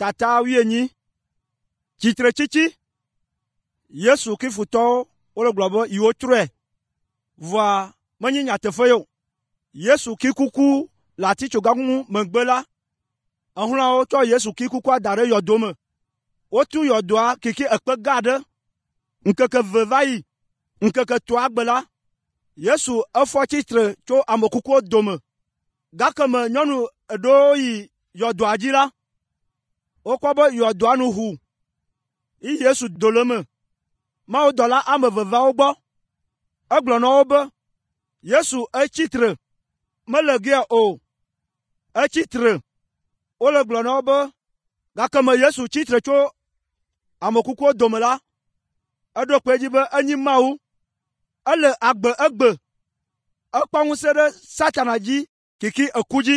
Tata wuienyi. Tsitretsitsi. Yesu kifutɔwo wole gblɔ be yewotrɔe, vɔa menye nyateƒe ye o. Yesu ki kuku le atitsoga ŋu megbe la, exlɔ̃awo tsɔ Yesu ki kukua da ɖe yɔdo me. Wotu yɔdoa kiki ekpe gã aɖe. Ŋkeke eve va yi. Ŋkeke etɔ̃a gbe la, Yesu efɔ tsitre tso ame kukuwo dome. Gake me nyɔnu eɖewo yi yɔdoa dzi la, wokpɔ be yɔdoa nu ʋu yi Yesu do le eme. Mawudɔla ame eve va wo gbɔ. Egblɔ na wo be, “Yesu etsi tre, mele gea o. Etsi tre.” Wole gblɔ na wo be, gake me Yesu tsi tre tso ame kukuwo dome la, eɖo kpe edzi be enyi Mawu. Ele agbe egbe. Ekpɔ ŋusẽ ɖe Satana dzi kiki eku dzi.